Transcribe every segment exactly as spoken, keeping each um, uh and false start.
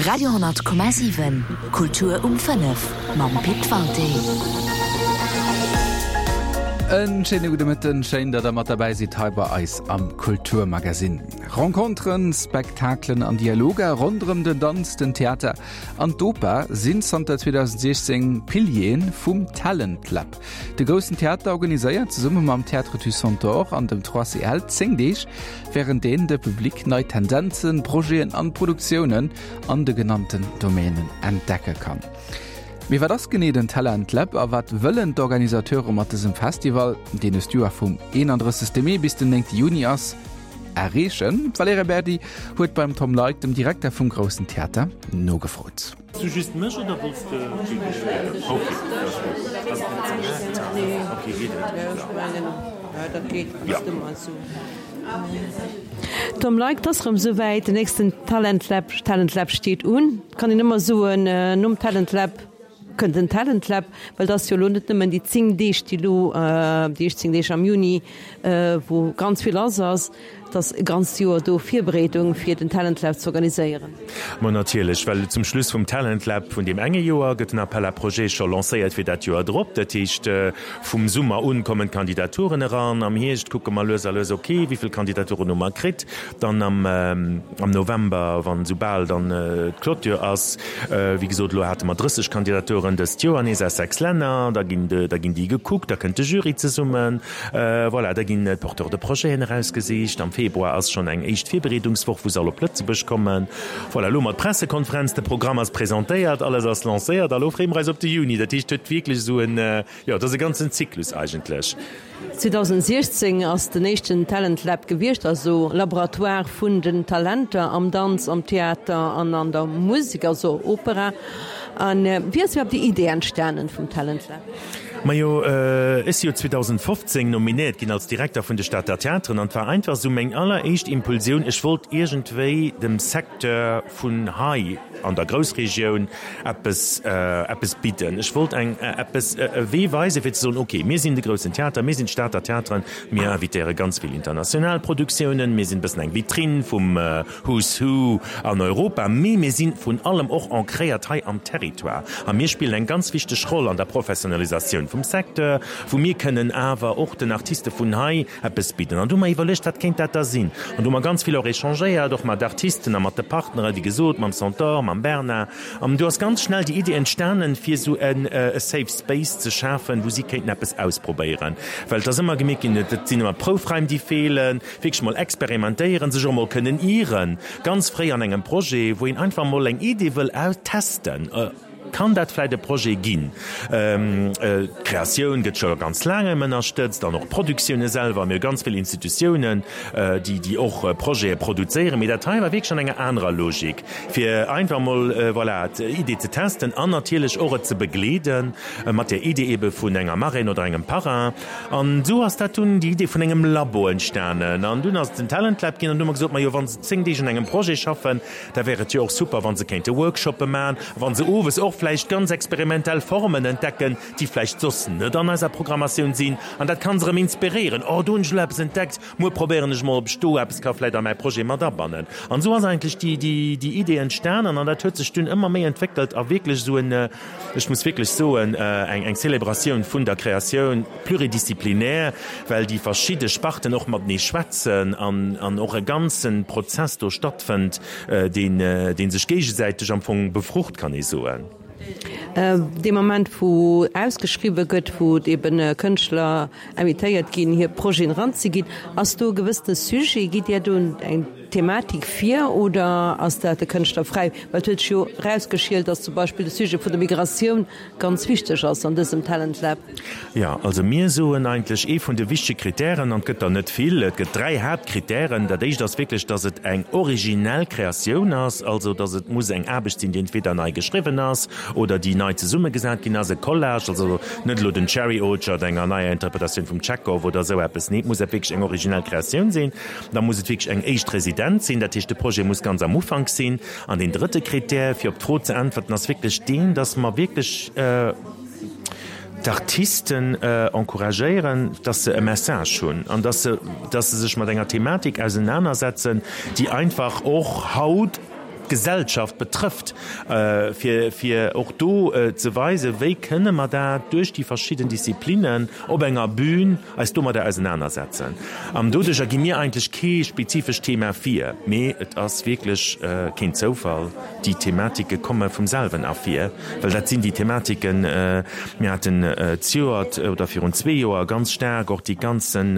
Radio honnert Komma siwen, Kultur um fënnef mam Pit Walté. En schéine gudde Mëtten, schéin, datt der mat derbäi sidd hei bei eis am Kulturmagasinn. Renconteren, Spektakelen an Dialoger ronderëm den Danz, den Theater an d'Oper sinn zanter zweedausendsechzéng Piliere vum Talent Lab. De Groussen Theater organiséiert zesumme mam Théâtre du Centaure an dem trois C L zéng Deeg, wärend deenen de Public nei Tendenzen, Projeten an Produktiounen an de genannten Domänen entdecke kann. Mee wat ass genee den Talent Lab a wat wëllen d'Organisateure mat dësem Festival, deen dëst Joer vum eenandrëssegste Mee bis den néngte Juni ass, erreechen? D'Valerija Berdi huet beim Tom Leick, dem Direkter vum Groussen Theater, nogefrot. Du just mech oder wollts de okay, okay, geet et? Ja. Tom Leick, 't ass rëm souwäit, den nächsten Talent Lab, Talent Lab steet un. Kann een ëmmer soen, nom Talent Lab kënnt den Talent Lab, well dat ass jo elo net nëmmen déi zéng Deeg, déi elo, déi éischt zéng Deeg am Juni, wou ganz vill lass ass, et ass e ganzt Joer do Virbereedung, fir den Talent Lab ze organiséieren. Ma natierlech, well zum Schluss vum Talent Lab vun deem enge Joer gëtt den Appel à projets scho lancéiert fir dat Joer drop. Dat heescht, vum Summer un kommen d'Kandidaturen eran. Am Hierscht kucke mer lues a lues, okay, wéi vill Kandidaturen hu mer kritt. Dann am am November, wann soubal dann d'Clôture ass, wéi gesot, elo hate mer drësseg Kandidaturen dëst Joer nees aus sechs Länner, da ginn da ginn déi gekuckt, da kënnt de Jury zesummen, voilà, da ginn d'Porteurs de projeten erausgesicht. Am Februar ass schonn eng éischt Virbereedungswoch, wou se all op Lëtzebuerg kommen. Voilà, elo mat Pressekonferenz, de Programm ass presentéiert, alles ass lancéiert a lo freeë mer eis op de Juni. Dat heescht, et huet wierklech esou en, jo, et ass e ganzen Zyklus eigentlech. zweedausendsechzéng ass den éischten Talent Lab gewiescht, also Laboratoire vun den Talenter am Danz, am Theater an an der Musek, also Opera. A wéi ass iwwerhaapt déi Idee entstanen vum Talent Lab? Majo, ech si jo zweedausendfofzéng nominéiert ginn als Direkter vun de Stater Theateren an et war einfach esou meng alleréischt Impulsioun, ech wollt iergendwéi dem Secteur vun hei an der Groussregioun eppes, eppes bidden. Ech wollt eng, eppes, e Wee weisen, fir ze soen, okay, mir sinn de groussen Theater, mir sinn d'Stater Theateren, mir invitéiere ganz vill international Produktiounen, mir sinn e bëssen eng Vitrinn vum Who's Who an Europa, mee mir si vrun allem och ancréiert hei am Territoire a mir spillen eng ganz wichteg Roll an der Professionalisatioun vum Secteur, wou mir kënnen awer och den Artiste vun hei eppes bidden. An du hu mer iwwerluecht, wat kéint dat da sinn? An du hu mer ganz vill och échangéiert, och mat Artisten a mat de Partneren, wéi gesot, mam Centaure, mam Bernard. An du ass ganz schnell déi Idee entstanen, fir esou e Safe Space ze schafen, wou si kéinten eppes ausprobéieren. Well et ass ëmmer gemierkt ginn, et sinn ëmmer Proufraim, déi feelen, wierklech mol experimentéieren, sech och mol kënnen ieren, ganz fréi an engem Projet, wou een einfach mol eng Idee wëll austesten. Kann dat vläit e Projet ginn? D'Kreatioun gëtt scho ganz laang ënnerstëtzt an och d'Produktioune selwer. Mir hu ganz vill Institutiounen, déi déi och Projete produzéieren. Mee dat hei war wierklech an enger anerer Logik, fir einfach emol, voilà, d'Idee ze testen an natierlech och et ze begleede mat där Idee eebe vun enger Marraine oder engem Parrain. An esou ass dat dunn déi Idee vun engem Labo entstanen. An dunn ass et den Talent Lab ginn. An du hu mer gesot, majo, wa se zéng Deeg un engem Projet schaffen, da wär et jo och super, wa se kéinte Workshoppe maachen, wa se owes och vläicht ganz experimentell Formen entdecken, déi vläicht soss net an eiser Programmatioun sinn. An dat kann se erëm inspiréieren, Oh, do hunn ech elo eppes entdeckt, muer probéieren ech mol, ob ech do eppes ka vläicht a mäi Projet mat abannen. An esou ass eigentlech déi, déi, déi Idee entstanen an dat huet sech dunn ëmmer méi entwéckelt a wierklech esou en, ech muss wierklech soen, eng, eng Celebratioun vun der Kreatioun pluridisciplinaire, well déi verschidde Sparten och matenee schwätzen an, an och e ganze Prozess do stattfënnt, deen, dee sech géigesäiteg am Fong befrucht, kann ee soen. Dee Moment, wou ausgeschriwwe gëtt, wou eben Kënschtler invitéiert ginn, hir Projeten eranzeginn, ass do e gewëssene Sujet? Gitt Dir do eng Thematik vir oder ass dat de Kënschtler fräi? Well et huet sech jo erausgeschielt, datt zum Beispill de Sujet vun der Migratioun ganz wichteg ass an dësem Talent Lab. Jo, also mir soen eigentlech, ee vun de wichtege Kritären, an et gëtt der net vill, et gëtt dräi Haaptkritären. Dat éischt ass wierklech, datt et eng originell Kreatioun ass, also datt et muss eng Aarbecht sinn, déi entweder nei geschriwwen ass oder déi nei zesummegesat ginn ass, e Collage, also net elo den Cherry Orchard, enger neier Interpretatioun vum Tschechow oder esou eppes. Nee, et muss wierklech eng originell Kreatioun sinn. Da muss et wierklech eng éischt Residenz sinn, dat heescht, de Projet muss ganz am Ufank sinn. An deen drëtte Kritär, fir op d'Fro ze äntwerten, ass wierklech deen, dass mer wierklech d'Artisten encouragéieren, dass se e Message hunn an dass se, dass se sech mat enger Thematik ausenanersetzen, déi einfach och haut d'Gesellschaft betrëfft, fir, fir och do ze weisen, wéi kënne mer dat duerch déi verschidden Disziplinnen op enger Bühn eis domadder ausenanersetzen. An doduercher gi mir eigentlech kee spezifescht Thema vir, mee et ass wierklech keen Zoufall, déi Thematike komme vum selwen ervir, well dat sinn déi Thematiken, mir haten zejoert oder virun zwee Joer ganz staark och déi ganzen,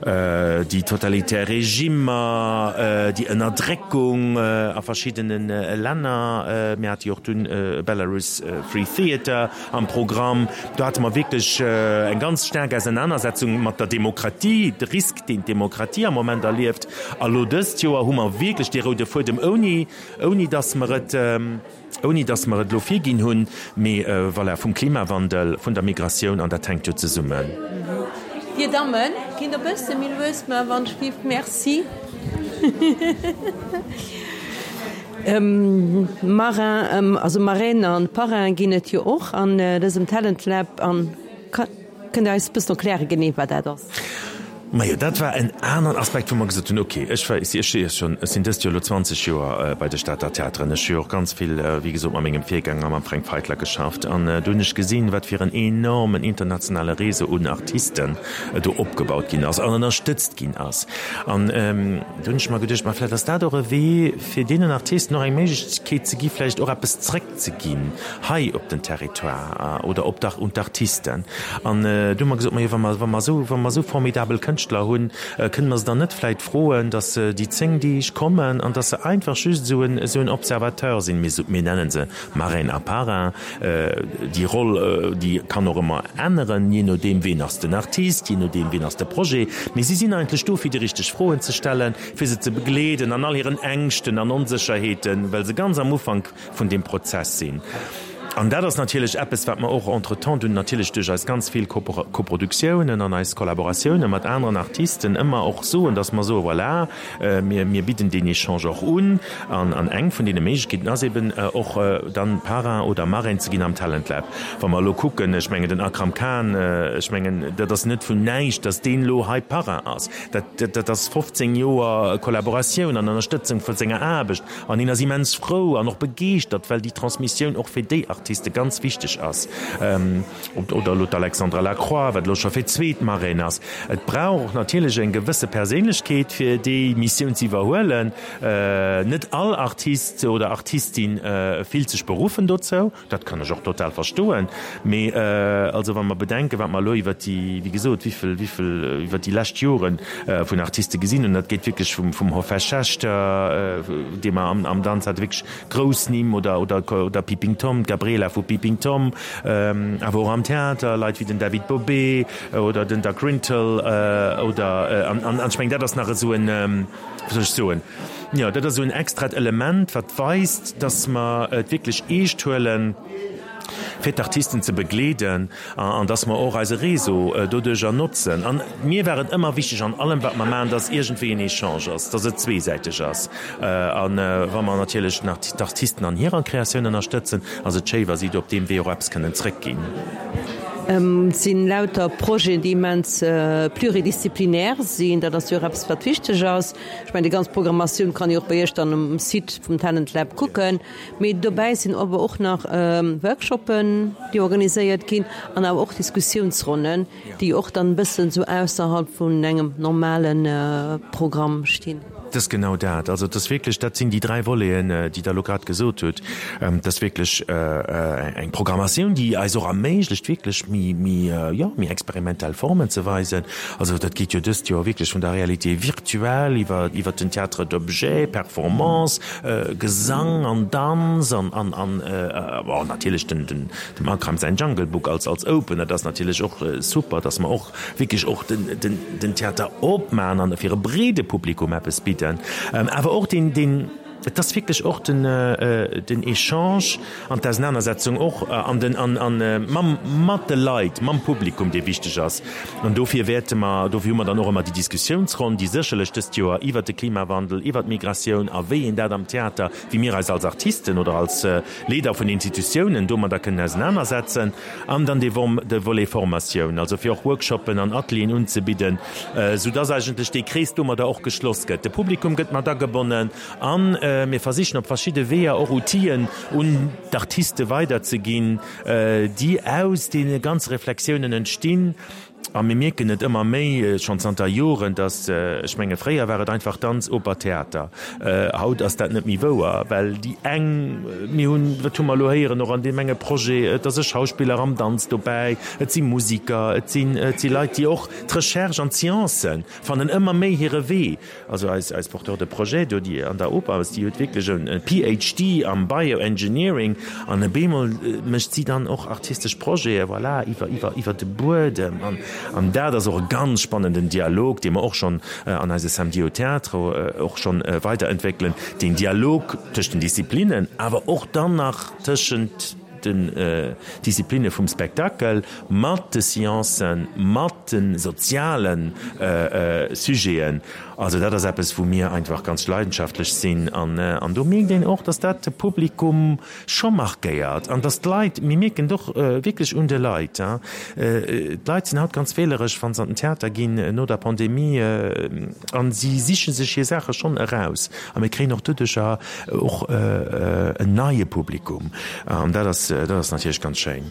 déi totalitär Regimmer, déi Ënnerdréckung a verschiddene Länner. Mir hate jo och dunn Belarus Free Theatre am Programm. Do hate mer wierklech eng ganz staark Ausenanersetzung mat der Demokratie, de Risk, deen d'Demokratie am Moment erlieft. A lo dëst Joer hu mer wierklech dee roude Fuedem, ouni, ouni datt mer et, ouni datt mer et elo virginn hunn, mee voilà, vum Klimawandel, vun der Migratioun, an dat hänkt jo zesummen. Dir Dammen, kinnt e bësse méi lues maachen, wann ech giff. Merci. Marin, also Marraine an Parrain ginn et jo och an dësem Talent Lab. An kënnt Der eis e bëssen erklären, genee wat dat ass? Majo, dat war en aneren Aspekt, wou mer gesot hunn, okay, ech war, ech si schonn, ech sinn dëst Joer elo zwanzeg Joer bei de Stater Theateren. Ech hu jo och ganz vill, wéi gesot, mat mengem Virgänger, mam Fränk Feitler geschafft. An do hunn ech gesinn, wat fir en enormen internationale Réseau un Artisten do opgebaut ginn ass an ënnerstëtzt ginn ass. An do hunn ech mer geduecht, ma vläicht ass dat och e Wee, fir deenen Artisten och eng Méiglechkeet ze gi vläicht och eppes zréckzeginn hei op den Territoire oder op d'Ar, un d'Artisten. An do hu mer gesot, majo, wa mer, wa mer esou, wa mer esou formidabel Kënschtler hunn, kënne mer se dann net vläicht froen, datt se déi zéng Deeg kommen an datt se einfach just esou en, esou en Observateur sinn. Mir, mir nennen se Marraine a Parrain. Déi Roll, déi kann och ëmmer änneren, jee nodeem ween ass den Artist, jee nodeem ween ass de Projet. Mee si sinn eigentlech do, fir déi richteg Froen ze stellen, fir se ze begleeden an all hiren Ängschten an Onsécherheeten, well se ganz am Ufank vun deem Prozess sinn. An dat ass natierlech eppes, wat mer och entretemps dunn natierlech duerch eis ganz vill Koproduktiounen an eis Kollaboratiounen mat aneren Artisten ëmmer och soen, dass mer soen, voilà, mir, mir bidden deen Echange och un. An, an eng vun deene Méiglechkeeten ass eben och dann Parrain oder Marraine ze ginn am Talent Lab. Wa mer elo kucken, ech mengen den Akram Khan, ech mengen dat ass net vun näischt, dass deen elo hei Parrain ass. Dat, dat ass fofzéng Joer Kollaboratioun an Ënnerstëtzung vu senger Aarbecht. An hien ass immens frou an och begeeschtert, well déi Transmissioun och fir déi Artiste ganz wichteg ass. Oder elo d'Alexandra Lacroix, wat elo scho fir d'zweet Marraine ass. Et brauch och natierlech eng gewësse Perséinlechkeet, fir déi Missioun ze iwwerhuelen. Net all Artist oder Artistin fillt sech beruffen dozou. Dat kann ech och total verstoen. Mee also wa mer bedenken, wat mer elo iwwert déi, wéi gesot, wéivill, wéivill iwwert déi lescht Jore vun Artiste gesinn hunn, dat geet wierklech vum, vum Hofesh Shechter, dee mer am, am Danz hate, wierklech grouss Nimm, oder, oder, oder Peeping Tom, d'Gabriela vu Peeping Tom, awer och am Theater Leit wéi den David Bobé oder den Doug Rintel oder, an, an ech mengen, dat ass nach esou en, wéi soll ech soen, jo, dat ass esou en extrat Element, wat weist, dass mer et wierklech eescht huelen, fir d'Artisten ze begleeden an dass mer och eise Réseau doduerjer notzen. An mir war et ëmmer wichteg an allem, wat mer maachen, dass iergendwéi en Echange ass, dass et zweesäiteg ass. A wa mer natierlech nach d'Artisten an hirer Kreatioun ënnerstëtzen, ass et schéi, wa si do op deem Wee och eppes kënnen zrëckginn. Et sinn lauter Projeten, déi immens pluridisziplinär sinn. Dat ass jo och eppes, wat wichteg ass. Ech mengen, déi ganz Programmatioun kann ee och bei Iech dann um Site vum Talent Lab kucken. Mee dobäi sinn awer och nach Workshoppen, déi organiséiert ginn an awer och Diskussiounsronnen, déi och dann e bëssen esou ausserhalb vun engem normale Programm stinn. Et ass genau dat. Also et ass wierklech, dat sinn déi dräi Voleten, déi Der elo grad gesot hutt. Et ass wierklech eng Programmatioun, déi eis och erméiglecht, wierklech méi, méi, jo, méi experimentell Formen ze weisen. Also dat geet jo dëst Joer wierklech vun der Réalité virtuelle iwwer, iwwer den Théâtre d'objets, Performance, Gesang an Danz an, an, an, bon, natierlech den, den, dem Akram säin Jungle Book als, als Opener. Dat ass natierlech och super, dass mer och wierklech och den, den, den Theater opmachen an fir e breede Publikum eppes bidden, awer och den, den, et ass wierklech och den, den Echange an d'Ausenanersetzung och an den, an, an mam, mat de Leit, mam Publikum, dee wichteg ass. An dofir wäerte mer, dofir hu mer dann och ëmmer déi Diskussiounsronn, déi sécherlech dëst Joer iwwert de Klimawandel, iwwert d'Migratioun a wéi een dat am Theater, wéi mir eis als Artisten oder als Leeder vun Institutiounen domadder kënnen ausenanersetzen. An dann dee Volet Formatioun, also fir och Workshoppen an Atelieren unzebidden, soudass eigentlech dee Krees domadder och geschloss gëtt. De Publikum gëtt mat agebonnen an Mir versichen op verschidde Weeër och Outiller un d'Artiste weiderzeginn, déi aus deene ganze Reflexiounen entstinn. A mir mierken et ëmmer méi, schonn zanter Joren, datt, ech menge fréier war et einfach Danz, Oper, Theater, haut ass dat net méi wouer, well déi eng, mir hunn, wat hu mer elo héieren och an deem enge Projet, et ass e Schauspiller am Danz dobäi, et si Musiker, et sinn, et si Leit, déi och d'Recherche an d'Sciencen fannen ëmmer méi hire Wee. Also eis, eis Porteur de projet do, déi an der Oper ass, déi huet wierklech e PhD am Bioengineering an op eemol mécht si dann och artistesch Projete, voilà, iwwer, iwwer, iwwer de Buedem. An, an dat ass och e ganz spannenden Dialog, dee mer och schonn an eise Samedi au Théâtre och schonn weiderentwéckelen, deen Dialog tëscht den Disziplinnen, awer och dann nach tëschent den Disziplinne vum Spektakel, mat de Sciencen, mat de soziale Sujeten. Also dat ass eppes, wou mir einfach ganz leidenschaftlech sinn. An do mierkt een och, datt dat de Publikum scho markéiert an datt d'Leit, mir mierken et och wierklech un de Leit, d'Leit sinn haut ganz wähleresch, wa se an den Theater ginn no der Pandemie a si siche sech hir Saache schonn eraus. A mir kréien och doduercher och en neie Publikum. An dat ass, dat ass natierlech ganz schéin.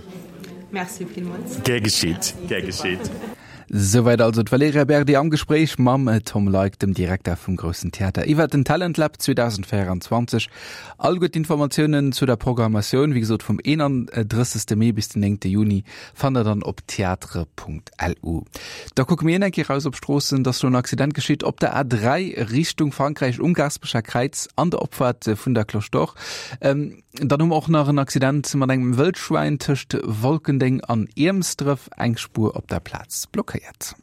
Merci villmools. Gär geschitt, gär geschitt. Souwäit also d'Valerija Berdi am Gespréich mam Tom Leick, dem Direkter vum Groussen Theater, iwwer den Talent Lab zweedausendvéierundzwanzeg. All gutt Informatiounen zu der Programmatioun, wéi gesot vum eenandrëssegste Mee bis den néngte Juni, fannt der dann op theatre.lu. Da kucke mir een eng Kéier raus op d'Stroossen, dass do en Accident geschitt op der A dräi Richtung Frankräich um Gaasperecher Kräiz an der Opfaart vun der Cloche d'Or. Dann hu mer och nach en Accident mat engem Wëldschwäin tëscht Wolkendeng an Iermsdref, eng Spuer op der Plaz blockéiert.